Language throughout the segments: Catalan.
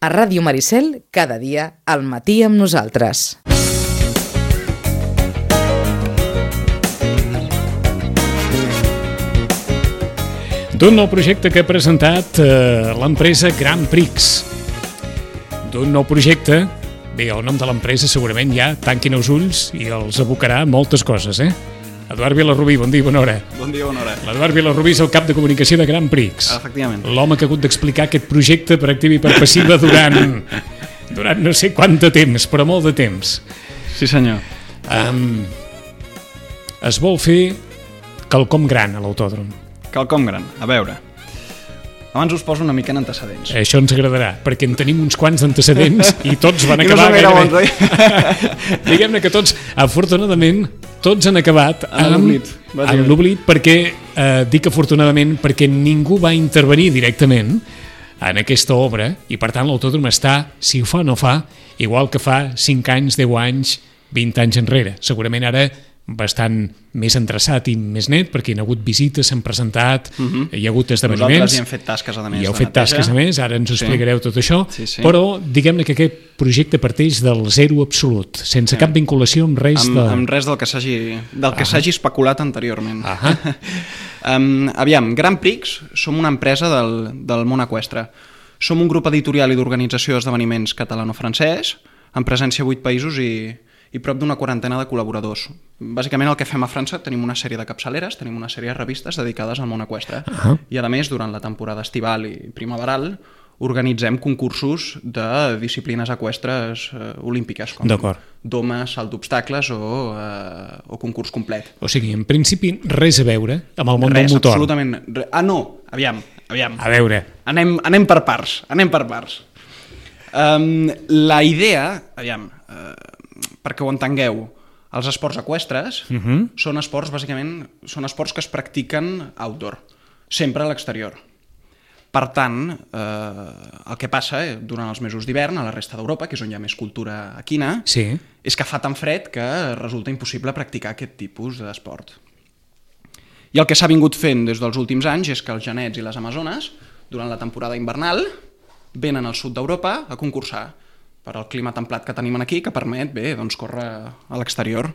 A Ràdio Maricel, cada dia, al matí amb nosaltres. D'un nou projecte que ha presentat l'empresa Grand Prix. D'un nou projecte, bé, el nom de l'empresa segurament ja tanquin els ulls i els abocarà moltes coses, Eduard Vilarrubí, bon dia, bona hora. Bon dia, bona hora. L'Eduard Vilarrubí és el cap de comunicació de Grand Prix. Efectivament. L'home que ha hagut d'explicar aquest projecte per activa i per passiva durant no sé quant de temps, però molt de temps. Sí, senyor. Es vol fer quelcom gran a l'autòdrom. Quelcom gran. A veure, abans us poso una mica en antecedents. Això ens agradarà, perquè en tenim uns quants d'antecedents i tots van I no acabar són gaire bons, gairebé. Diguem-ne que tots, afortunadament, tots han acabat amb l'oblit, perquè dic afortunadament perquè ningú va intervenir directament en aquesta obra i per tant l'autòdrom està, si ho fa o no fa, igual que fa 5 anys, 10 anys, 20 anys enrere. Segurament ara bastant més endreçat i més net, perquè hi ha hagut visites, s'han presentat, hi ha hagut esdeveniments. Nosaltres hi hem fet tasques, a més. Hi heu fet tasques, a més, ara ens ho explicareu tot això, però diguem-ne que aquest projecte parteix del zero absolut, sense cap vinculació amb res amb res del que s'hagi especulat anteriorment. Aviam, Grand Prix som una empresa del món eqüestre. Som un grup editorial i d'organització d'esdeveniments catalano-francès, amb presència a 8 països i prop d'una quarantena de col·laboradors. Bàsicament el que fem a França, tenim una sèrie de capçaleres, tenim una sèrie de revistes dedicades al món eqüestre. I a més, durant la temporada estival i primaveral, organitzem concursos de disciplines eqüestres olímpiques, com doma, salt d'obstacles o concurs complet. O sigui, en principi, res a veure amb el món del motor. Absolutament. No, aviam. A veure. Anem per parts, La idea, perquè ho entengueu, els esports eqüestres són esports, bàsicament, són esports que es practiquen outdoor, sempre a l'exterior. Per tant, el que passa durant els mesos d'hivern a la resta d'Europa, que és on hi ha més cultura equina, és que fa tan fred que resulta impossible practicar aquest tipus d'esport. I el que s'ha vingut fent des dels últims anys és que els genets i les amazones, durant la temporada invernal, venen al sud d'Europa a concursar per al clima templat que tenim aquí, que permet, córrer a l'exterior.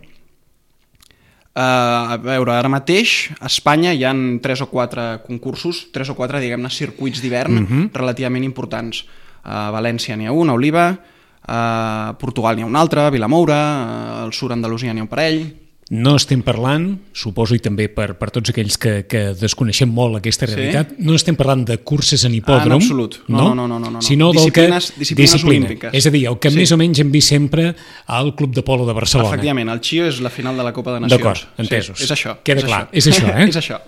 A veure, ara mateix a Espanya hi ha 3 o 4 concursos, 3 o 4, diguem-ne, circuits d'hivern relativament importants. A València n'hi ha un, a Oliva, a Portugal n'hi ha un altre, a Vilamoura, al sud Andalusia n'hi ha un parell. No estem parlant, suposo, i també per tots aquells que desconeixem molt aquesta realitat, no estem parlant de curses en hipòdrom, en absolut. No. Sinó disciplines olímpiques. És a dir, el que més o menys hem vist sempre al Club de Polo de Barcelona. Efectivament, el Chio és la final de la Copa de Nacions. D'acord, entesos. És això. Queda clar, és això, És això.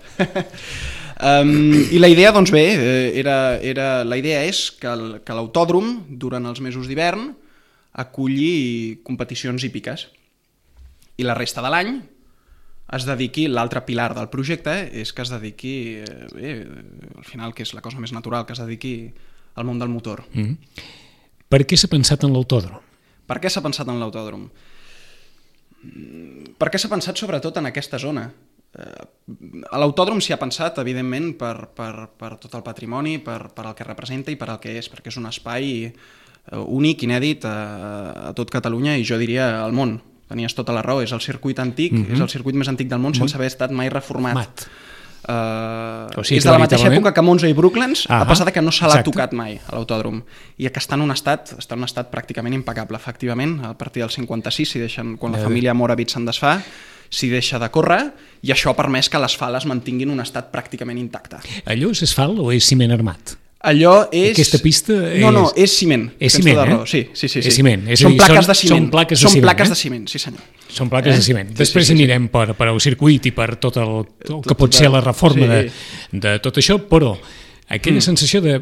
I la idea, doncs bé, la idea és que l'autòdrom, durant els mesos d'hivern, aculli competicions hípiques. I la resta de l'any es dediqui, l'altre pilar del projecte és que es dediqui, al final, que és la cosa més natural, que es dediqui al món del motor. Per què s'ha pensat en l'autòdrom? Per què s'ha pensat en l'autòdrom? Per què s'ha pensat sobretot en aquesta zona? A l'autòdrom s'hi ha pensat, evidentment, per tot el patrimoni, per el que representa i per el que és, perquè és un espai únic, inèdit a tot Catalunya i jo diria al món. Tenies tota la raó, és el circuit antic, és el circuit més antic del món sense haver estat mai reformat. És de la mateixa època que Monza i Brooklands, a pesar que no se l'ha tocat mai a l'autòdrom, i que està en un estat pràcticament impecable. Efectivament, a partir del 56, quan la família Moravit se'n desfà, s'hi deixa de córrer, i això ha permès que l'asfalt es mantingui en un estat pràcticament intacte. Allò és asfalt o és ciment armat? Allò és... Aquesta pista és... No, és ciment. És ciment, Sí. És ciment. Són plaques de ciment. Són plaques de ciment, sí senyor. Són plaques de ciment. Després anirem per el circuit i per tot el que pot ser la reforma de tot això, però aquella sensació de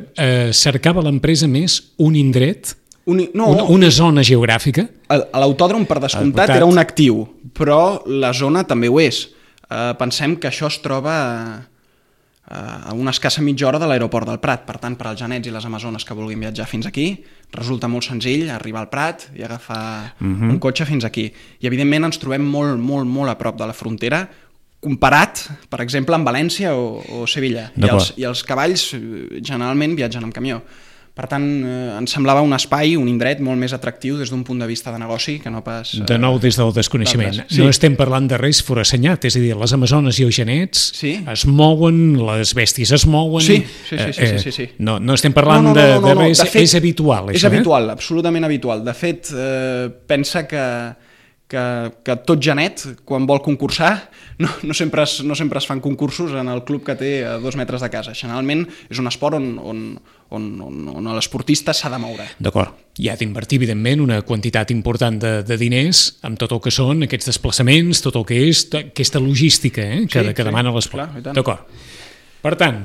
cercava l'empresa més un indret, una zona geogràfica. L'autòdrom, per descomptat, era un actiu, però la zona també ho és. Pensem que això es troba a una escassa mitja hora de l'aeroport del Prat. Per tant, per als genets i les amazones que vulguin viatjar fins aquí, resulta molt senzill arribar al Prat i agafar un cotxe fins aquí. I, evidentment, ens trobem molt, molt, molt a prop de la frontera, comparat, per exemple, amb València o Sevilla. I els cavalls generalment viatgen amb camió. Per tant, ens semblava un espai, un indret molt més atractiu des d'un punt de vista de negoci que no pas... De nou, des del desconeixement. Sí. No estem parlant de res forassenyat, és a dir, les amazones i els genets es mouen, les bèsties es mouen... Sí. No estem parlant de res, de fet, és habitual, això. És habitual, absolutament habitual. De fet, pensa que tot genet, quan vol concursar, no sempre es fan concursos en el club que té a 2 metres de casa. Generalment és un esport on l'esportista s'ha de moure. D'acord. Hi ha d'invertir, evidentment, una quantitat important de diners amb tot el que són aquests desplaçaments, tot el que és aquesta logística que demana l'esport. D'acord. Per tant,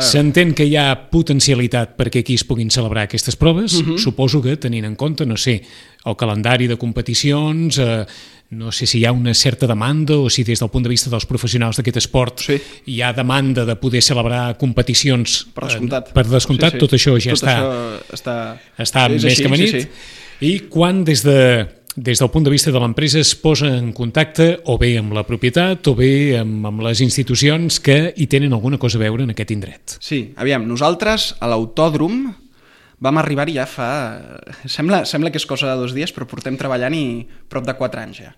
s'entén que hi ha potencialitat perquè aquí es puguin celebrar aquestes proves. Suposo que, tenint en compte, no sé, el calendari de competicions, no sé si hi ha una certa demanda o si des del punt de vista dels professionals d'aquest esport hi ha demanda de poder celebrar competicions. Per descomptat, tot això ja està més que amanit. I quan des del punt de vista de l'empresa es posa en contacte o bé amb la propietat o bé amb les institucions que hi tenen alguna cosa a veure en aquest indret. Sí, aviam, nosaltres a l'Autòdrom vam arribar-hi ja fa... Sembla que és cosa de 2 dies, però portem treballant-hi prop de 4 anys ja.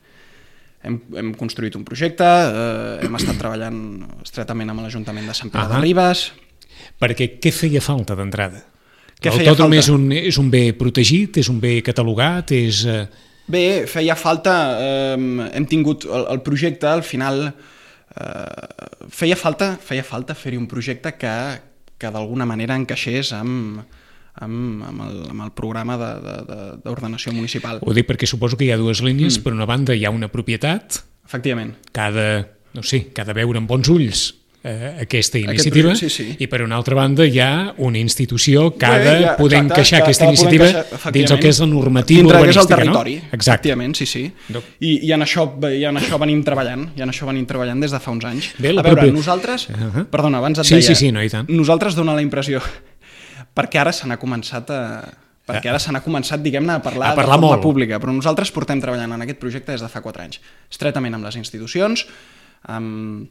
Hem construït un projecte, hem estat treballant estretament amb l'Ajuntament de Sant Pere de Ribes... Perquè què feia falta d'entrada? L'autòdrom és un bé protegit, és un bé catalogat, és... Bé, feia falta, hem tingut el projecte, al final feia falta fer-hi un projecte que d'alguna manera encaixés amb el programa d'ordenació municipal. Ho dic perquè suposo que hi ha 2 línies. Per una banda hi ha una propietat, efectivament, que ha de veure amb bons ulls aquesta iniciativa, i per una altra banda hi ha una institució que ha de poder encaixar aquesta iniciativa dins el que és la normativa urbanística, el territori, no? Exacte. Efectivament, sí. I en això venim treballant, des de fa uns anys. A veure, nosaltres... Perdona, abans et deia... Sí, no, i tant. Nosaltres dona la impressió, perquè ara se n'ha començat diguem-ne, a parlar de forma pública, però nosaltres portem treballant en aquest projecte des de fa 4 anys, estretament amb les institucions, amb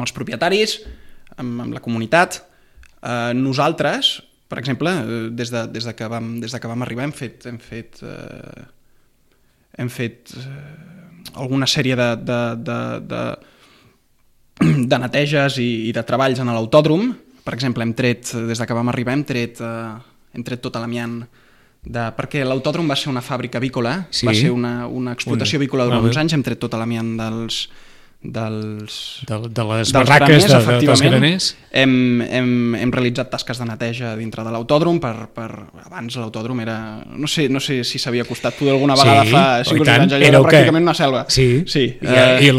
els propietaris, amb la comunitat. Nosaltres, per exemple, des de que vam arribar hem fet alguna sèrie de neteges i de treballs en l'Autòdrom. Per exemple, des de que vam arribar hem tret tot l'amiant perquè l'Autòdrom va ser una fàbrica avícola, va ser una explotació avícola durant uns anys, hem tret tot l'amiant de les barraques dels graners. Hem realitzat tasques de neteja dintre de l'Autòdrom. Abans l'Autòdrom era... No sé si s'havia costat poder alguna vegada fa 5 o 6 anys, allò era pràcticament una selva. Sí. I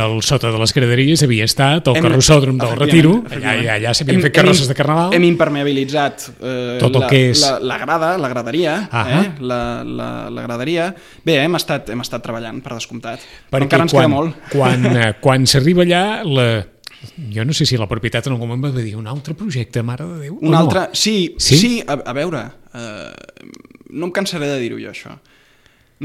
el sota de les graderies havia estat el carrossòdrom del Retiro, allà s'havien fet carrosses de carnaval. Hem impermeabilitzat tot el que és la graderia. La graderia. Bé, hem estat treballant, per descomptat, però encara ens queda molt. Quan s'arriba allà, jo no sé si la propietat en algun moment va dir un altre projecte, mare de Déu. Un altre? Sí, a veure, no em cansaré de dir-ho jo, això.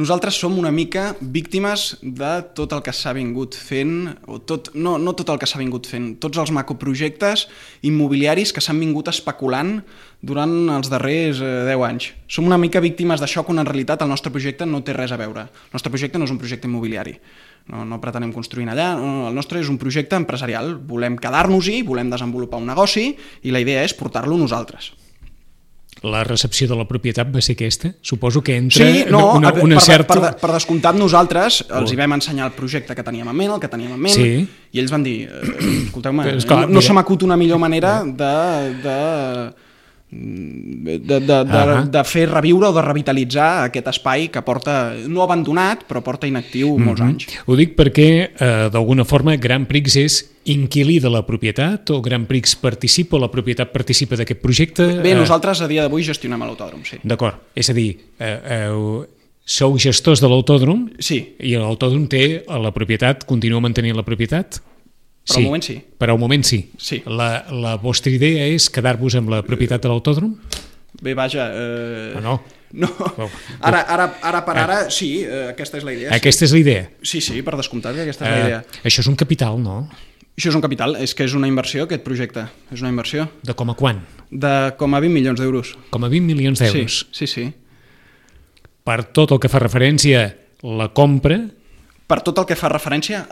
Nosaltres som una mica víctimes de tot el que s'ha vingut fent, no tot el que s'ha vingut fent, tots els macroprojectes immobiliaris que s'han vingut especulant durant els darrers 10 anys. Som una mica víctimes d'això, quan en realitat el nostre projecte no té res a veure. El nostre projecte no és un projecte immobiliari. No pretenem construir allà, el nostre és un projecte empresarial. Volem quedar-nos-hi, volem desenvolupar un negoci i la idea és portar-lo nosaltres. La recepció de la propietat va ser aquesta? Suposo que entra una certa... Per descomptat, nosaltres els hi vam ensenyar el projecte que teníem en ment, i ells van dir, escolteu-me, no se m'acut una millor manera de fer reviure o de revitalitzar aquest espai que porta, no abandonat, però porta inactiu molts anys. Ho dic perquè, d'alguna forma, Grand Prix és inquilí de la propietat o Grand Prix participa o la propietat participa d'aquest projecte? Bé, nosaltres a dia d'avui gestionem l'Autòdrom, sí. D'acord, és a dir, sou gestors de l'Autòdrom? Sí. I l'Autòdrom té la propietat, continua mantenint la propietat? Per al moment sí. Per al moment sí. Sí. La vostra idea és quedar-vos amb la propietat de l'Autòdrom? Bé, vaja... No. Ara, sí, aquesta és la idea. Aquesta és la idea? Sí, per descomptat que aquesta és la idea. Això és un capital, no? Això és un capital, és que és una inversió, aquest projecte. És una inversió. De com a quan? De com a 20 milions d'euros. Com a 20 milions d'euros. Sí. Per tot el que fa referència la compra... Per tot el que fa referència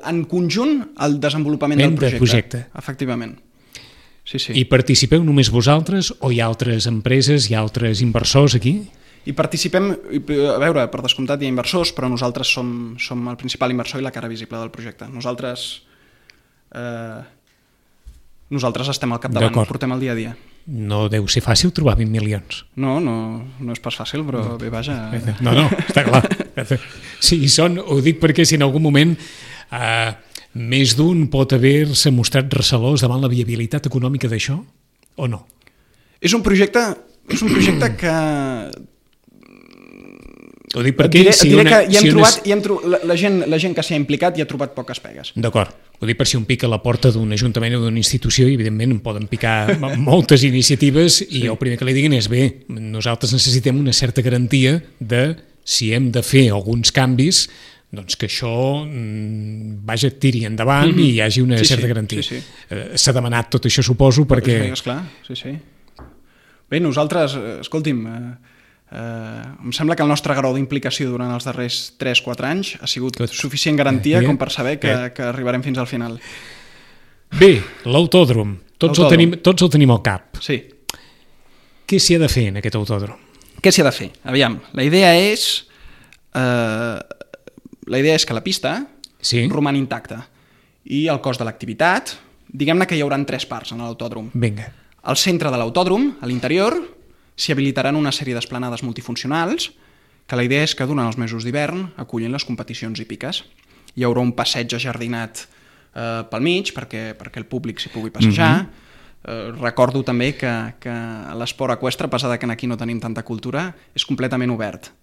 en conjunt al desenvolupament del projecte. Efectivament. Sí. I participeu només vosaltres o hi ha altres empreses, hi ha altres inversors aquí? I participem, a veure, per descomptat hi ha inversors, però nosaltres som el principal inversor i la cara visible del projecte. Nosaltres estem al capdavant, portem el dia a dia. No deu ser fàcil trobar 20 milions. No és pas fàcil, però bé, vaja... No, està clar. Sí, ho dic perquè si en algun moment més d'un pot haver-se mostrat recelós davant la viabilitat econòmica d'això, o no? És un projecte que... Ho dic perquè la gent que s'hi ha implicat hi ha trobat poques pegues. D'acord. Ho dic per si un pica a la porta d'un ajuntament o d'una institució i evidentment poden picar moltes iniciatives i el primer que li diguin és bé, nosaltres necessitem una certa garantia de si hem de fer alguns canvis doncs que això tiri endavant i hi hagi una certa garantia. S'ha demanat tot això, suposo, perquè... Esclar, sí. Bé, nosaltres, escolti'm... em sembla que el nostre grau d'implicació durant els darrers 3-4 anys ha sigut suficient garantia com per saber que arribarem fins al final. Bé, l'autòdrom. Tots el tenim al cap. Sí. Què s'hi ha de fer en aquest autòdrom? Què s'hi ha de fer? Aviam, la idea és que la pista roman intacta i el cos de l'activitat, diguem-ne que hi haurà 3 parts en l'autòdrom. Vinga. Al centre de l'autòdrom, a l'interior, s'hi habilitaran una sèrie d'esplanades multifuncionals que la idea és que durant els mesos d'hivern acullin les competicions hípiques. Hi haurà un passeig ajardinat pel mig perquè el públic s'hi pugui passejar. Recordo també que l'esport eqüestre, a pesar que aquí no tenim tanta cultura, és completament obert.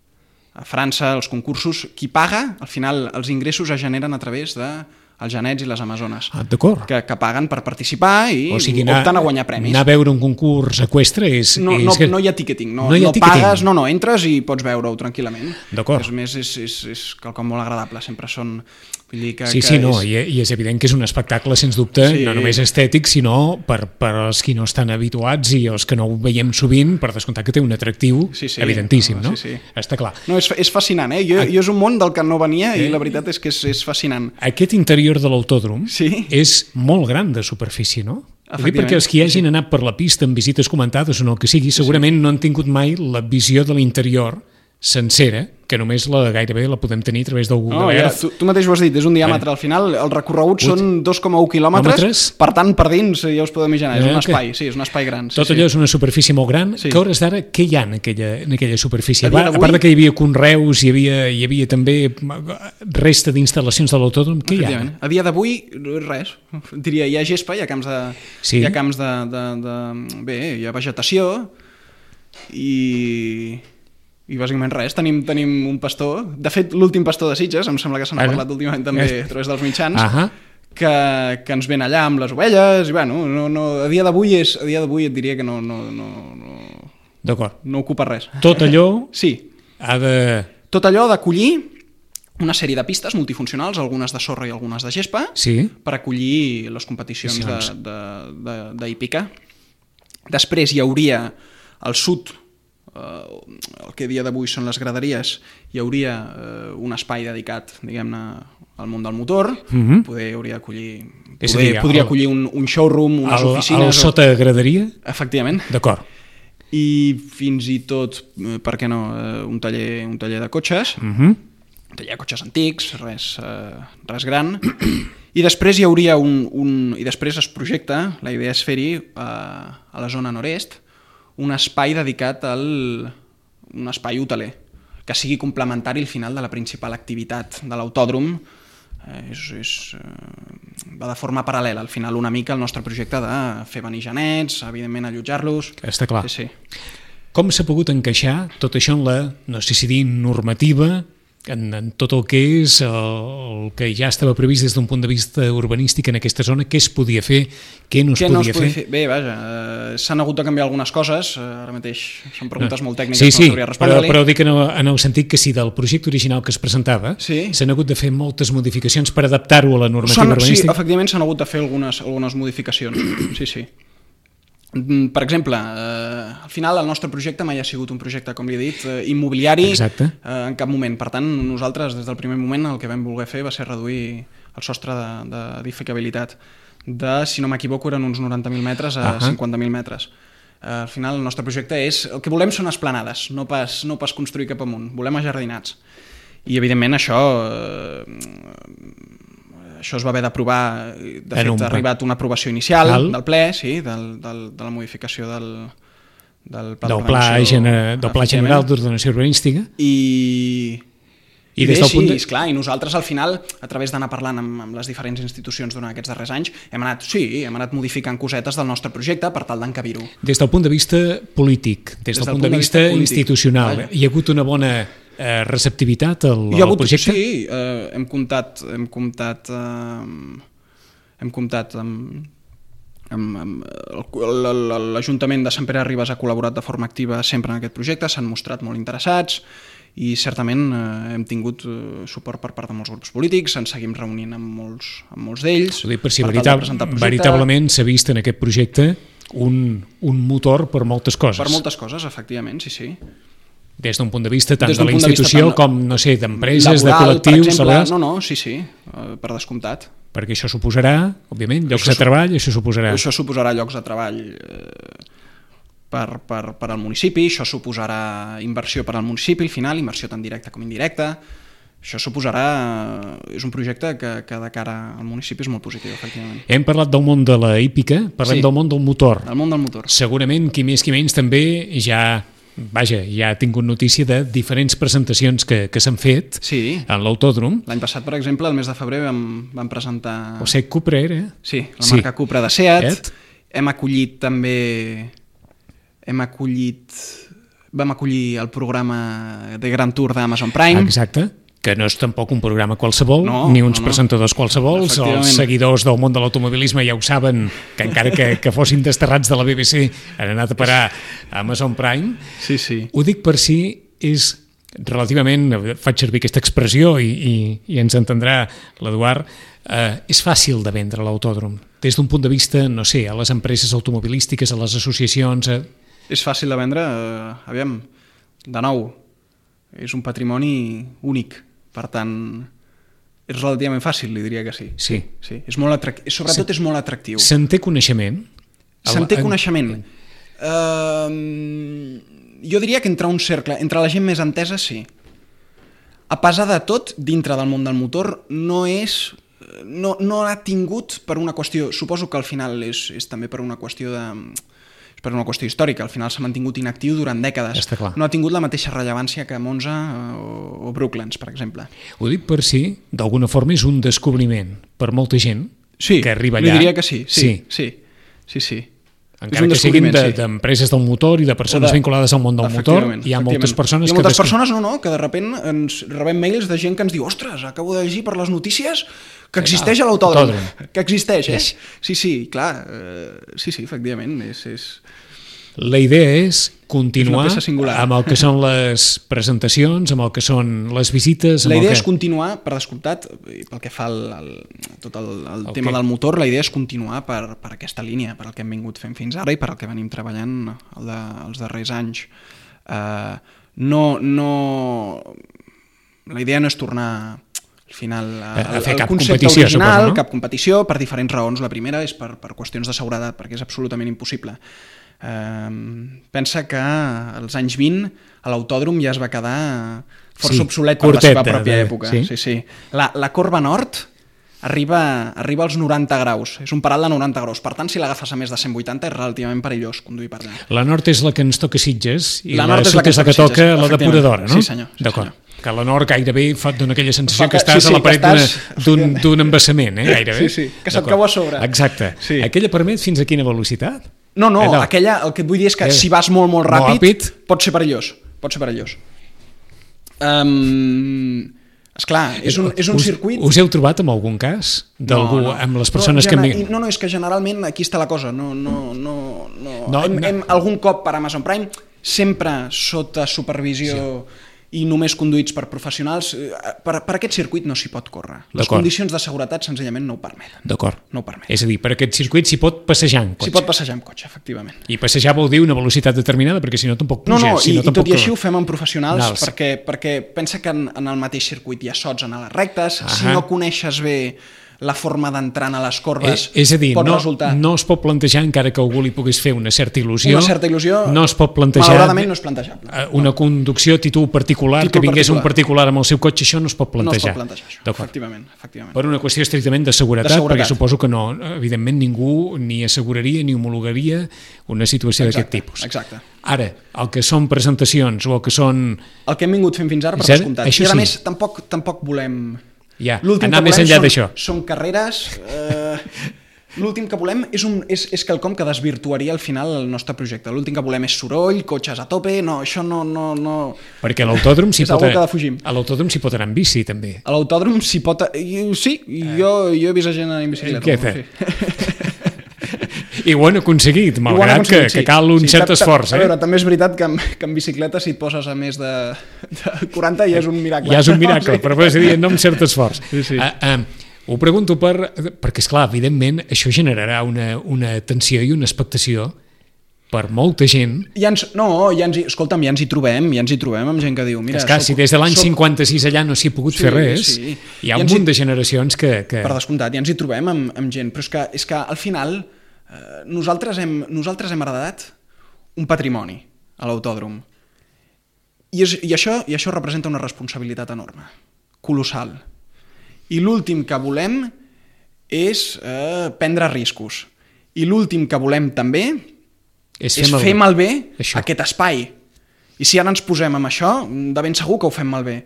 A França, els concursos, qui paga, al final els ingressos es generen a través de els genets i les amazones, que paguen per participar i opten a guanyar premis. Anar a veure un concurs eqüestre és... No hi ha ticketing, no pagues, entres i pots veure-ho tranquil·lament. D'acord. És més, és quelcom molt agradable, sempre són... I és evident que és un espectacle, sens dubte, no només estètic, sinó per als qui no estan habituats i els que no ho veiem sovint, per descomptar que té un atractiu evidentíssim, no? Està clar. No, és fascinant, Jo és un món del que no venia i la veritat és que és fascinant. Aquest interior de l'autòdrom és molt gran de superfície, no? Perquè els que hagin anat per la pista en visites comentades o no el que sigui, segurament no han tingut mai la visió de l'interior sencera, que només gairebé la podem tenir a través del Google Earth. Tu mateix ho has dit, és un diàmetre. Al final el recorregut són 2,1 quilòmetres, per tant per dins ja us podeu imaginar, és un espai, és un espai gran. Tot allò és una superfície molt gran. Que a hores d'ara, què hi ha en aquella superfície? A part que hi havia conreus, hi havia també resta d'instal·lacions de l'autòdrom, què hi ha? A dia d'avui, res. Diria, hi ha gespa, hi ha camps de... Bé, hi ha vegetació i bàsicament res, tenim un pastor, de fet l'últim pastor de Sitges, em sembla que se n'ha parlat últimament també a través dels mitjans, que ens ven allà amb les ovelles, i bueno, a dia d'avui et diria que no ocupa res. Tot allò Tot allò d'acollir una sèrie de pistes multifuncionals, algunes de sorra i algunes de gespa, per acollir les competicions d'hípica. Després hi hauria al sud, el que a dia d'avui són les graderies, hi hauria un espai dedicat, diguem-ne, al món del motor. Podria acollir un showroom, unes oficines... El sota graderia? Efectivament. D'acord. I fins i tot, per què no, un taller de cotxes, un taller de cotxes antics, res gran. I després hi hauria i després es projecta, la idea és fer-hi a la zona nord-est, un espai dedicat un espai hoteler, que sigui complementari al final de la principal activitat de l'autòdrom. Va de forma paral·lela, al final una mica el nostre projecte de fer venir genets, evidentment allotjar-los... Està clar. Com s'ha pogut encaixar tot això en la, no sé si dir, normativa, en tot el que és el que ja estava previst des d'un punt de vista urbanístic en aquesta zona, què es podia fer, què no es podia fer? Bé, vaja, s'han hagut de canviar algunes coses, ara mateix són preguntes molt tècniques, no sabria respondre-li. Però dic en el sentit que si del projecte original que es presentava s'han hagut de fer moltes modificacions per adaptar-ho a la normativa urbanística. Sí, efectivament s'han hagut de fer algunes modificacions, sí. Per exemple, al final el nostre projecte mai ha sigut un projecte, com li he dit, immobiliari en cap moment. Per tant, nosaltres des del primer moment el que vam voler fer va ser reduir el sostre d'edificabilitat de, si no m'equivoco, eren uns 90.000 metres a 50.000 metres. Al final el nostre projecte és... El que volem són esplanades, no pas construir cap amunt. Volem ajardinats. I evidentment això es va haver d'aprovar, de fet ha arribat una aprovació inicial del ple, sí, de la modificació del Pla General d'Ordenació Urbanística. I bé, sí, esclar, i nosaltres al final, a través d'anar parlant amb les diferents institucions durant aquests darrers anys, hem anat modificant cosetes del nostre projecte per tal d'encabir-ho. Des del punt de vista polític, des del punt de vista institucional, hi ha hagut una bona receptivitat al projecte? Sí, hem comptat amb l'Ajuntament de Sant Pere de Ribes ha col·laborat de forma activa sempre en aquest projecte, s'han mostrat molt interessats i certament hem tingut suport per part de molts grups polítics, ens seguim reunint amb molts d'ells. Ho dic per si veritablement s'ha vist en aquest projecte un motor per moltes coses. Per moltes coses, efectivament, sí. Des d'un punt de vista tant de la institució com, no sé, d'empreses, de col·lectius... No, sí, per descomptat. Perquè això suposarà, òbviament, llocs de treball, això suposarà llocs de treball per al municipi, això suposarà inversió per al municipi, al final, inversió tant directa com indirecta. Això suposarà... És un projecte que de cara al municipi és molt positiu, efectivament. Hem parlat del món de la hípica, parlem del món del motor. El món del motor. Segurament, qui més qui menys, també ja ha tingut notícia de diferents presentacions que s'han fet en l'autòdrom. L'any passat, per exemple, el mes de febrer vam presentar... El Seat Cupra era? Sí, la marca Cupra de Seat. Hem acollit també... Vam acollir el programa de Grand Tour d'Amazon Prime. Exacte. Que no és tampoc un programa qualsevol, ni uns presentadors qualsevol. Els seguidors del món de l'automobilisme ja ho saben, que encara que fossin desterrats de la BBC han anat a parar a Amazon Prime. Sí. Ho dic per si és relativament, faig servir aquesta expressió i ens entendrà l'Eduard, és fàcil de vendre l'autòdrom. Des d'un punt de vista, no sé, a les empreses automobilístiques, a les associacions... És fàcil de vendre, aviam, de nou, és un patrimoni únic. Per tant, és relativament fàcil, li diria que sí. Sí. És molt atractiu. Sobretot és molt atractiu. Se'n té coneixement? Coneixement. Jo diria que entre un cercle, entre la gent més entesa, sí. A pesar de tot, dintre del món del motor, no ha tingut per una qüestió... Suposo que al final és també per una qüestió històrica, al final s'ha mantingut inactiu durant dècades. No ha tingut la mateixa rellevància que Monza o Brooklands, per exemple. Ho dic per si, d'alguna forma, és un descobriment per molta gent que arriba allà. Li diria que sí. Encara que siguin d'empreses del motor i de persones vinculades al món del motor, hi ha moltes persones que... Hi ha moltes persones, que de sobte ens rebem mails de gent que ens diu ostres, acabo de llegir per les notícies que existeix a l'autòdrom. Que existeix, Sí, clar. Sí, efectivament. La idea és continuar amb el que són les presentacions, amb el que són les visites... La idea és continuar, per descomptat, pel que fa tot el tema del motor, la idea és continuar per aquesta línia, per el que hem vingut fent fins ara i per el que venim treballant els darrers anys. La idea no és tornar al final a fer cap competició, suposo, no? Cap competició, per diferents raons. La primera és per qüestions de seguretat, perquè és absolutament impossible. Pensa que als anys 20 a l'autòdrom ja es va quedar força obsolet per la seva pròpia època. Sí. La corba nord arriba als 90 graus. És un paral de 90 graus. Per tant, si l'agafes a més de 180 és relativament perillós conduir per allà. La nord és la que ens toca Sitges i la sud és la que toca la depuradora, no? Sí, senyor. D'acord. Que la nord gairebé dona aquella sensació que estàs a la paret d'un embassament, gairebé. Sí, que se't cau a sobre. Exacte. Aquella permet fins a quina velocitat? No, aquella, el que et vull dir és que si vas molt ràpid, pot ser perillós. Esclar, és un circuit... Us heu trobat en algun cas? D'algú, amb les persones que... No, és que generalment aquí està la cosa. Algun cop per Amazon Prime, sempre sota supervisió i només conduïts per professionals, per aquest circuit no s'hi pot córrer. Les condicions de seguretat senzillament no ho permeten. D'acord. No ho permeten. És a dir, per aquest circuit s'hi pot passejar en cotxe. S'hi pot passejar en cotxe, efectivament. I passejar vol dir una velocitat determinada, perquè si no tampoc puges. No, si i tampoc... tot i així ho fem amb professionals perquè pensa que en el mateix circuit hi ha sots en les rectes, si no coneixes bé la forma d'entrar a les corbes és a dir, pot resultar... no es pot plantejar, encara que algú li pogués fer una certa il·lusió, no es pot plantejar malauradament no és plantejable. Una conducció a títol particular, que vingués un particular amb el seu cotxe, això no es pot plantejar. No es pot plantejar, això, efectivament. Per una qüestió estrictament de seguretat, perquè suposo que no, evidentment ningú ni asseguraria ni homologaria una situació d'aquest tipus. Exacte. Ara, el que són presentacions o el que són... El que hem vingut fent fins ara, per descomptat. I a més, tampoc volem... anar més enllà d'això. Són carreres... L'últim que volem és quelcom que desvirtuaria al final el nostre projecte. L'últim que volem és soroll, cotxes a tope, no, això no... Perquè a l'autòdrom s'hi pot... A l'autòdrom s'hi pot anar en bici, també. A l'autòdrom s'hi pot... Sí, jo he vist gent anar en bicicleta. I ho han aconseguit, malgrat que cal un cert esforç. A veure, també és veritat que en bicicleta si et poses a més de 40 ja és un miracle. Ja és un miracle, però és a dir, no amb cert esforç. Ho pregunto perquè, esclar, evidentment, això generarà una tensió i una expectació per molta gent. Escolta'm, ja ens hi trobem amb gent que diu... Mira, si des de l'any 56 allà no s'hi ha pogut fer res, hi ha un munt de generacions que... Per descomptat, ja ens hi trobem amb gent, però és que al final nosaltres hem heredat un patrimoni a l'autòdrom i això representa una responsabilitat enorme, colossal. I l'últim que volem és prendre riscos. I l'últim que volem també és fer malbé aquest espai. I si ara ens posem amb això, de ben segur que ho fem malbé.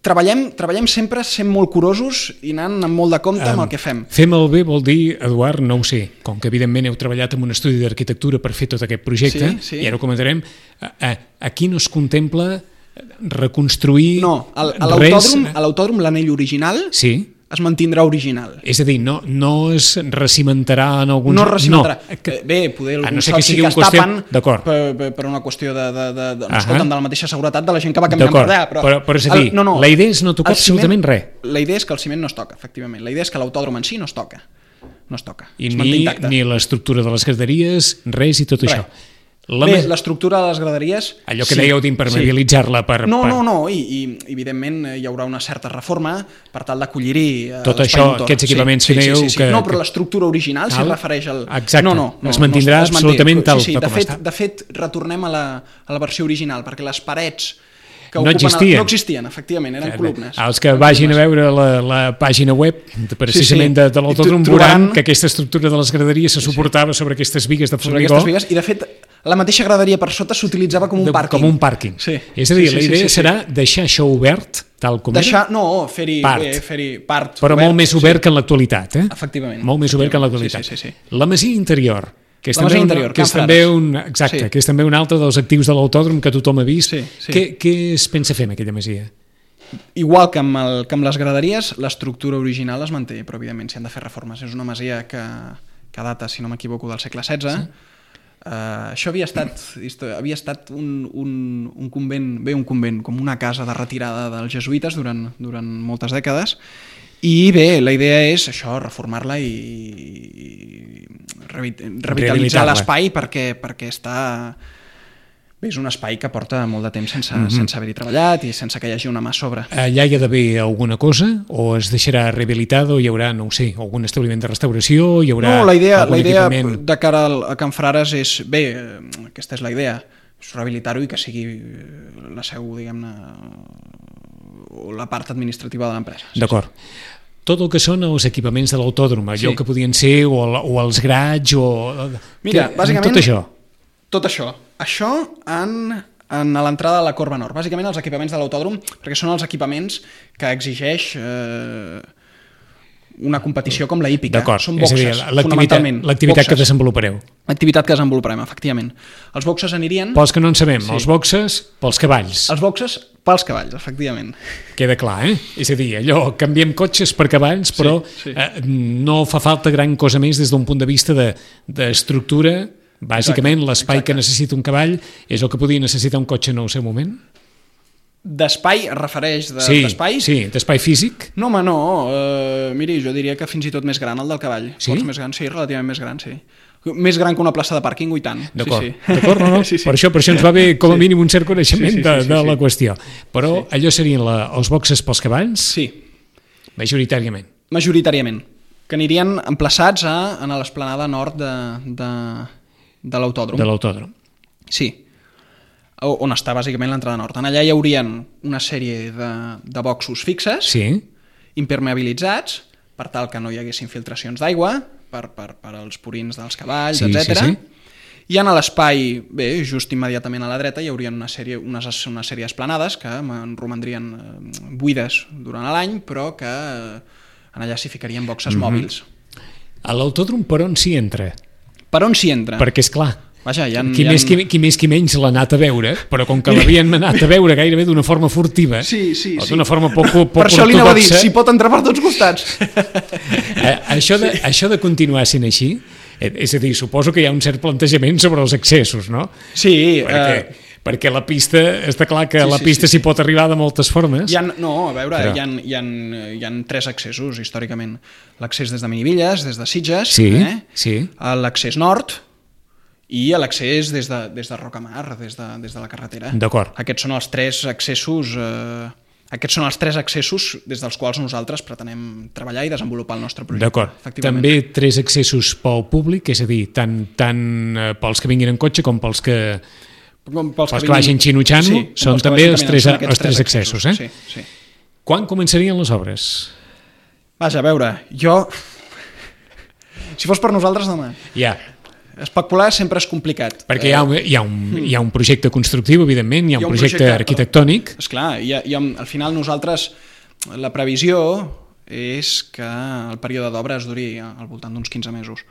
Treballem sempre sent molt curosos i anant amb molt de compte amb el que fem. Fer malbé vol dir, Eduard, no ho sé, com que evidentment heu treballat en un estudi d'arquitectura per fer tot aquest projecte, i ara ho comentarem, aquí no es contempla reconstruir res... No, a l'autòdrom l'anell original es mantindrà original. És a dir, no es recimentarà en alguns... No es recimentarà. Bé, poder alguns sols sí que es tapen per una qüestió de la mateixa seguretat de la gent que va canviant per allà. Però és a dir, la idea és no tocar absolutament res. La idea és que el ciment no es toca, efectivament. La idea és que l'autòdrom en si no es toca. No es toca. I ni l'estructura de les graderies, res i tot això. Bé, l'estructura de les graderies... Allò que dèieu d'impermeabilitzar-la per... No, i evidentment hi haurà una certa reforma per tal d'acollir-hi... Tot això, aquests equipaments que dèieu... No, però l'estructura original s'hi refereix al... Exacte, es mantindrà absolutament tal com està. De fet, retornem a la versió original, perquè les parets que no existien, efectivament, eren columnes. Els que vagin a veure la pàgina web precisament de l'autòdrom veuran que aquesta estructura de les graderies se suportava sobre aquestes bigues de formigó. I de fet, la mateixa graderia per sota s'utilitzava com un pàrquing. Com un pàrquing. És a dir, la idea serà deixar això obert, tal com era? No, fer-hi part. Però molt més obert que en l'actualitat. Efectivament. Molt més obert que en l'actualitat. La masia interior, que és també un altre dels actius de l'autòdrom que tothom ha vist. Què es pensa fer amb aquella masia? Igual que amb les graderies, l'estructura original es manté, però evidentment s'hi han de fer reformes. És una masia que data, si no m'equivoco, del segle XVI. Això havia estat un convent, com una casa de retirada dels jesuïtes durant moltes dècades. I bé, la idea és això, reformar-la i revitalitzar l'espai perquè està... Bé, és un espai que porta molt de temps sense haver-hi treballat i sense que hi hagi una mà a sobre. Allà hi ha d'haver alguna cosa? O es deixarà rehabilitat o hi haurà, no ho sé, algun establiment de restauració? No, la idea de cara a Can Frares és... Bé, aquesta és la idea, és rehabilitar-ho i que sigui la seu, diguem-ne, o la part administrativa de l'empresa. D'acord. Tot el que són els equipaments de l'autòdrom, allò que podien ser o els grats o... Mira, bàsicament... Tot això. Tot això. Això a l'entrada de la Corba Nord. Bàsicament els equipaments de l'autòdrom, perquè són els equipaments que exigeix una competició com la hípica. Són boxes, fonamentalment. L'activitat que desenvolupareu. L'activitat que desenvoluparem, efectivament. Els boxes anirien... Pels que no en sabem, els boxes pels cavalls. Els boxes pels cavalls, efectivament. Queda clar, És a dir, allò, canviem cotxes per cavalls, però no fa falta gran cosa més des d'un punt de vista d'estructura. Bàsicament, l'espai que necessita un cavall és el que podia necessitar un cotxe en el seu moment? D'espai, es refereix d'espai? Sí, d'espai físic. No, home, no. Miri, jo diria que fins i tot més gran el del cavall. Sí? Més gran, sí, relativament més gran, sí. Més gran que una plaça de pàrquing, i tant. D'acord, sí. D'acord, no. Sí. Per això ens va bé com a mínim un cert coneixement de la qüestió. Però allò serien els boxes pels cavalls? Sí. Majoritàriament. Majoritàriament. Que anirien emplaçats a l'esplanada nord de l'autòdrom. De l'autòdrom. Sí. On està bàsicament l'entrada nord. En allà hi haurien una sèrie de boxos fixes, impermeabilitzats, per tal que no hi haguessin filtracions d'aigua, per als purins dels cavalls, etc. I en l'espai, just immediatament a la dreta, hi haurien una sèrie d'esplanades que romandrien buides durant l'any, però que en allà s'hi ficarien boxes mòbils. A l'autòdrom per on s'hi entra? Per on s'hi entra? Perquè, esclar, vaja, qui més qui menys l'ha anat a veure, però com que l'havien anat a veure gairebé d'una forma furtiva, o d'una forma poc ortodoxa... Per això li anava a dir, s'hi pot entrar per tots costats. Això de continuar sent així, és a dir, suposo que hi ha un cert plantejament sobre els accessos, no? Sí. Perquè la pista, està clar que la pista s'hi pot arribar de moltes formes. No, a veure, hi ha 3 accessos, històricament. L'accés des de Minivilles, des de Sitges, l'accés nord, i l'accés des de Rocamar, des de la carretera. D'acord. Aquests són els 3 accessos des dels quals nosaltres pretenem treballar i desenvolupar el nostre projecte. D'acord. També 3 accessos pel públic, és a dir, tant pels que vinguin en cotxe com pels que vagin xinutxant, són també els 3 accessos. Sí. Quan començarien les obres? Vaja, a veure, si fos per nosaltres, demà. Ja. Especular sempre és complicat. Perquè hi ha un projecte constructiu, evidentment, hi ha un projecte arquitectònic. Esclar, al final nosaltres, la previsió és que el període d'obres duri al voltant d'uns 15 mesos.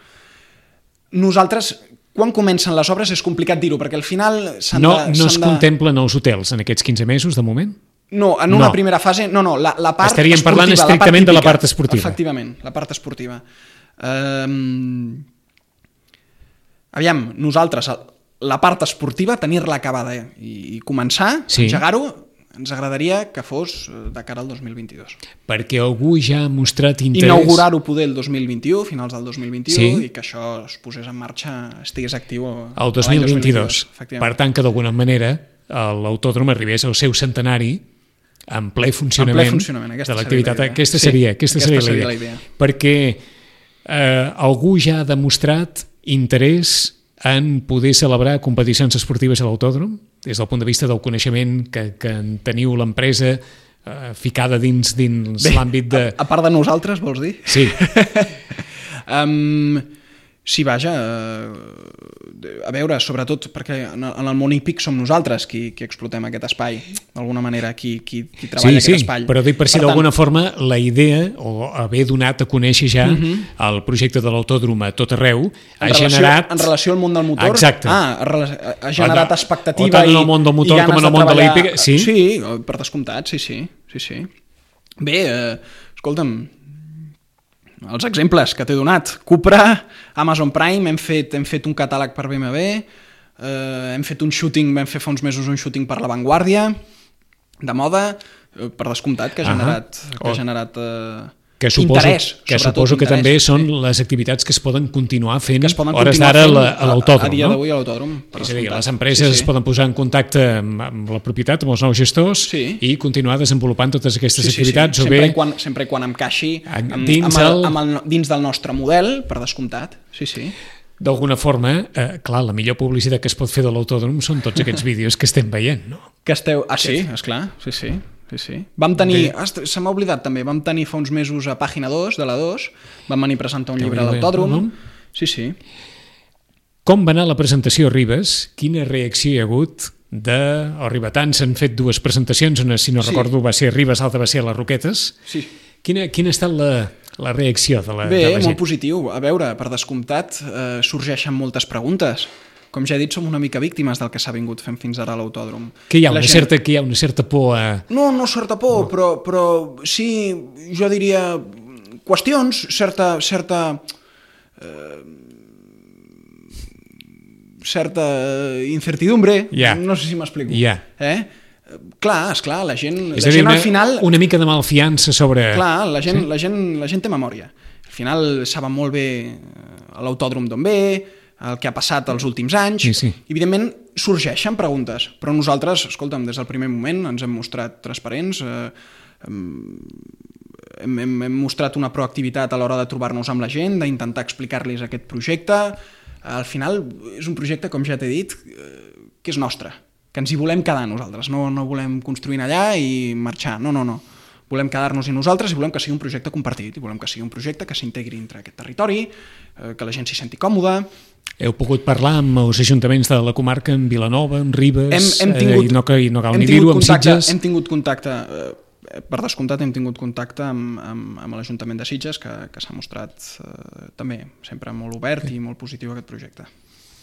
Nosaltres, quan comencen les obres és complicat dir-ho, perquè al final no es contemplen els hotels en aquests 15 mesos, de moment? No, en una primera fase, la part estaríem esportiva, parlant estrictament de la part esportiva. Efectivament, la part esportiva. Aviam, nosaltres, la part esportiva, tenir-la acabada i començar, engegar-ho, ens agradaria que fos de cara al 2022. Perquè algú ja ha mostrat interès... Inaugurar-ho poder el 2021, finals del 2021, i que això es posés en marxa, estigués actiu el 2022. Per tant, que d'alguna manera l'autòdrom arribés al seu centenari en ple funcionament de l'activitat. Aquesta seria la idea. Perquè algú ja ha demostrat interès en poder celebrar competicions esportives a l'autòdrom, des del punt de vista del coneixement que teniu l'empresa ficada dins l'àmbit de... A part de nosaltres, vols dir? Sí. Sí, vaja, a veure, sobretot perquè en el món hípic som nosaltres qui explotem aquest espai, d'alguna manera, qui treballa aquest espai. Sí, però dic per si d'alguna forma la idea, o haver donat a conèixer ja el projecte de l'autòdrom a tot arreu, ha generat... En relació al món del motor? Exacte. Ha generat expectativa tant en el món del motor com en el món de la hípica. Sí, per descomptat, sí. Bé, escolta'm, els exemples que t'he donat: Cupra, Amazon Prime, hem fet un catàleg per BMW, hem fet un shooting, vam fer fa uns mesos un shooting per La Vanguardia, de moda, per descomptat, que ha generat interès. Que suposo que també són les activitats que es poden continuar fent hores d'ara a l'autòdrom. A dia d'avui a l'autòdrom. És a dir, les empreses es poden posar en contacte amb la propietat, amb els nous gestors, i continuar desenvolupant totes aquestes activitats. Sempre quan encaixi dins del nostre model, per descomptat. Sí. D'alguna forma, clar, la millor publicitat que es pot fer de l'autòdrom són tots aquests vídeos que estem veient, no? Sí, esclar, sí. Vam tenir, se m'ha oblidat també, vam tenir fa uns mesos a Pàgina 2, de la 2, vam venir a presentar un llibre a l'autòdrom. Sí. Com va anar la presentació a Ribes? Quina reacció hi ha hagut o ribetans? Han fet 2 presentacions, una, si no recordo, va ser a Ribes, l'altra va ser a les Roquetes. Sí. Quina ha estat la reacció de la gent? Bé, molt positiu. A veure, per descomptat, sorgeixen moltes preguntes. Com ja he dit, som una mica víctimes del que s'ha vingut fent fins ara a l'autòdrom. Que hi ha una certa por a... No certa por, però sí, jo diria, qüestions, certa incertidumbre, no sé si m'explico. Clar, esclar, la gent És a dir, al final... una mica de malfiança sobre... Clar, la gent té memòria. Al final saben molt bé l'autòdrom d'on ve, el que ha passat els últims anys, sí. i evidentment sorgeixen preguntes, però nosaltres, escolta'm, des del primer moment ens hem mostrat transparents, hem mostrat una proactivitat a l'hora de trobar-nos amb la gent, d'intentar explicar-los aquest projecte. Al final és un projecte, com ja t'he dit, que és nostre, que ens hi volem quedar nosaltres, no volem construir allà i marxar, no. Volem quedar-nos-hi nosaltres i volem que sigui un projecte compartit, i volem que sigui un projecte que s'integri entre aquest territori, que la gent s'hi senti còmoda. Heu pogut parlar amb els ajuntaments de la comarca, amb Vilanova, amb Ribes, i no cal ni dir-ho, amb Sitges? Hem tingut contacte, per descomptat hem tingut contacte amb l'Ajuntament de Sitges, que s'ha mostrat també sempre molt obert i molt positiu a aquest projecte.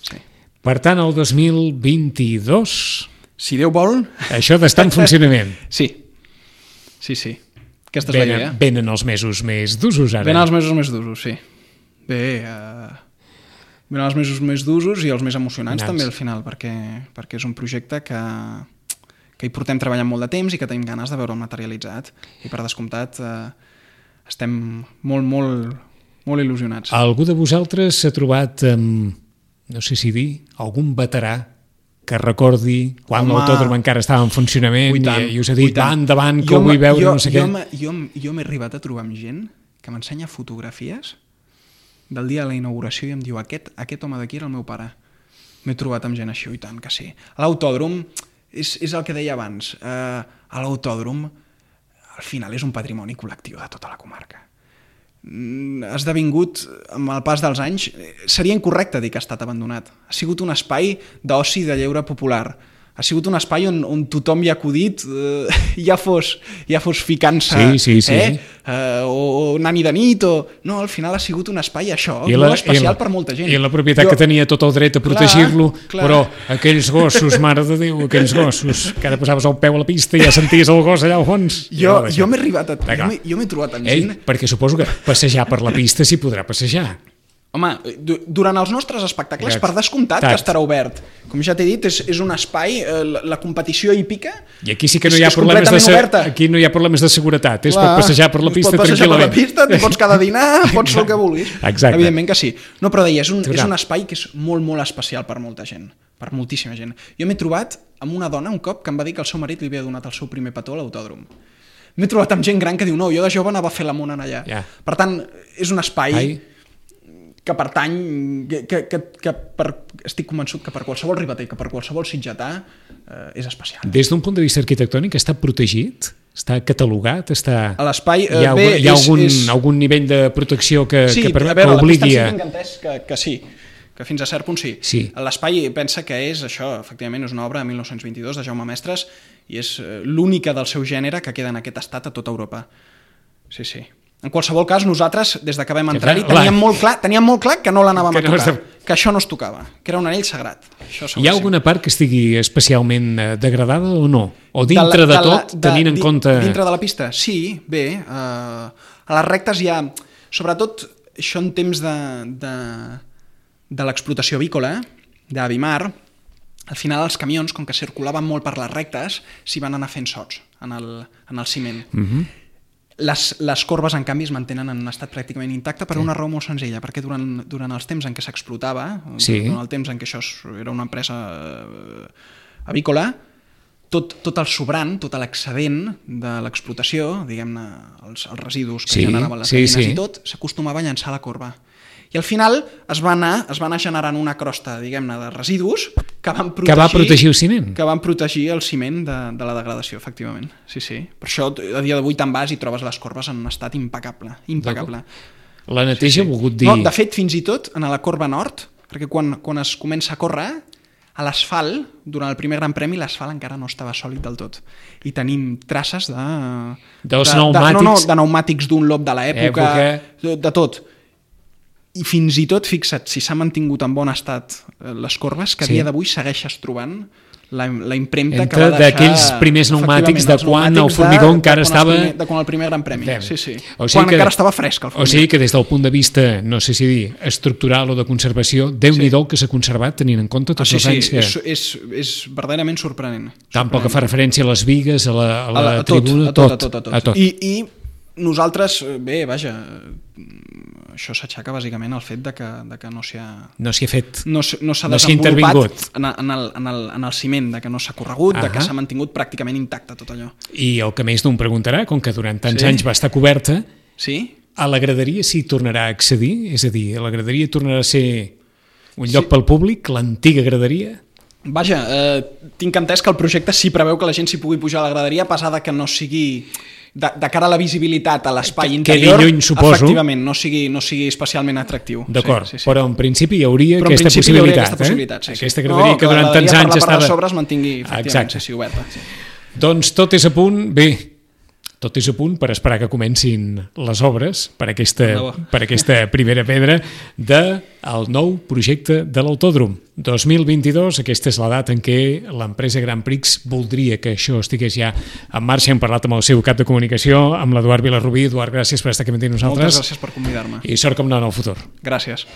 Sí. Per tant, el 2022... Si Déu vol... Això d'estar en funcionament. Sí. Aquesta és la idea. Venen els mesos més d'usos, ara. Venen els mesos més d'usos, sí. Venen els mesos més d'usos i els més emocionants també al final, perquè és un projecte que hi portem treballant molt de temps i que tenim ganes de veure'l materialitzat. I per descomptat estem molt, molt, molt il·lusionats. Algú de vosaltres s'ha trobat amb, no sé si dir, algun veterà que recordi quan l'autòdrom encara estava en funcionament i us ha dit, va endavant, que ho vull veure, no sé què. Jo m'he arribat a trobar amb gent que m'ensenya fotografies del dia de la inauguració i em diu, aquest home d'aquí era el meu pare. M'he trobat amb gent així, i tant que sí. L'autòdrom és el que deia abans. L'autòdrom al final és un patrimoni col·lectiu de tota la comarca. Ha esdevingut, amb el pas dels anys, seria incorrecte dir que ha estat abandonat. Ha sigut un espai d'oci i de lleure popular. Ha sigut un espai on tothom hi ha acudit, ja fos ficant-se, o anant-hi de nit, no, al final ha sigut un espai, això, molt especial per molta gent. I la propietat que tenia tot el dret a protegir-lo, però aquells gossos, mare de Déu, aquells gossos, que ara posaves el peu a la pista i ja senties el gos allà al fons. Jo m'he arribat jo m'he trobat amb gent... Perquè suposo que passejar per la pista s'hi podrà passejar. Home, durant els nostres espectacles, per descomptat que estarà obert. Com ja t'he dit, és un espai, la competició hípica... I aquí sí que no hi ha problemes de seguretat, és pot passejar per la pista tranquil·lament. Pots passejar per la pista, et pots quedar a dinar, pots fer el que vulguis. Exacte. Evidentment que sí. No, però deia, és un espai que és molt, molt especial per molta gent, per moltíssima gent. Jo m'he trobat amb una dona un cop que em va dir que el seu marit li havia donat el seu primer petó a l'autòdrom. M'he trobat amb gent gran que diu, no, jo de jove anava a fer l'amont allà. Per tant, és un espai... que pertany, estic convençut que per qualsevol ribeter, que per qualsevol sitgetà és especial. Des d'un punt de vista arquitectònic està protegit? Està catalogat? A l'espai... Hi ha algun nivell de protecció que obligui... Sí, a veure, la pista tinc entès que sí, que fins a cert punt sí. L'espai pensa que és això, efectivament, és una obra de 1922 de Jaume Mestres i és l'única del seu gènere que queda en aquest estat a tota Europa. Sí. En qualsevol cas, nosaltres, des que vam entrar-hi, teníem molt clar que no l'anàvem a tocar, que això no es tocava, que era un anell sagrat. Hi ha alguna part que estigui especialment degradada o no? O dintre de tot, tenint en compte... Dintre de la pista? Sí, bé. A les rectes hi ha... Sobretot, això en temps de l'explotació avícola, d'Avimar, al final els camions, com que circulaven molt per les rectes, s'hi van anar fent sots en el ciment. Les corbes, en canvi, es mantenen en un estat pràcticament intacte per una raó molt senzilla, perquè durant els temps en què s'explotava, durant el temps en què això era una empresa avícola, tot el sobrant, tot l'excedent de l'explotació, diguem-ne, els residus que generaven les gallines i tot, s'acostumava a llançar a la corba. I al final es va anar generant una crosta, diguem-ne, de residus que van protegir el ciment. Que van protegir el ciment de la degradació, efectivament. Sí. Per això, a dia d'avui te'n vas i trobes les corbes en un estat impecable. La neteja ha volgut dir... No, de fet, fins i tot, en la corba nord, perquè quan es comença a córrer, a l'asfalt, durant el primer Gran Premi, l'asfalt encara no estava sòlid del tot. I tenim traces de pneumàtics d'un Lob de l'època, de tot. I fins i tot, fixa't, si s'ha mantingut en bon estat les corbes, que a dia d'avui segueixes trobant la impremta que va deixar... d'aquells primers pneumàtics de quan el formigó encara estava... De quan el primer Gran Premi, sí. O sigui quan encara estava fresc el formigó. O sigui que des del punt de vista, no sé si dir, estructural o de conservació, Déu-n'hi-do que s'ha conservat tenint en compte tots els anys que... És verdaderament sorprenent. Tampoc fa referència a les vigues, a la tribuna, a tot. I nosaltres, bé, vaja, això s'aixaca bàsicament al fet de que no s'hi ha fet, no s'ha desenvolupat en el ciment, de que no s'ha corregut, de que s'ha mantingut pràcticament intacte tot allò. I el que més d'un preguntarà, com que durant tants anys va estar coberta, a la graderia s'hi tornarà a accedir? És a dir, la graderia tornarà a ser un lloc pel públic, l'antiga graderia? Vaja, tinc entès que el projecte sí preveu que la gent s'hi pugui pujar a la graderia, a pesar de que no sigui... de cara a la visibilitat a l'espai interior, lluny, suposo, efectivament, no sigui especialment atractiu. D'acord, però en principi hi hauria aquesta possibilitat. Aquesta graderia que durant tants anys estava... Que la part de sobre es mantingui, efectivament, oberta. Doncs tot és a punt, bé, tot és a punt per esperar que comencin les obres per aquesta primera pedra del nou projecte de l'Autòdrom. 2022, aquesta és la data en què l'empresa Grand Prix voldria que això estigués ja en marxa. Hem parlat amb el seu cap de comunicació, amb l'Eduard Vilarrubí. Eduard, gràcies per estar aquí amb nosaltres. Moltes gràcies per convidar-me. I sort com no en el futur. Gràcies.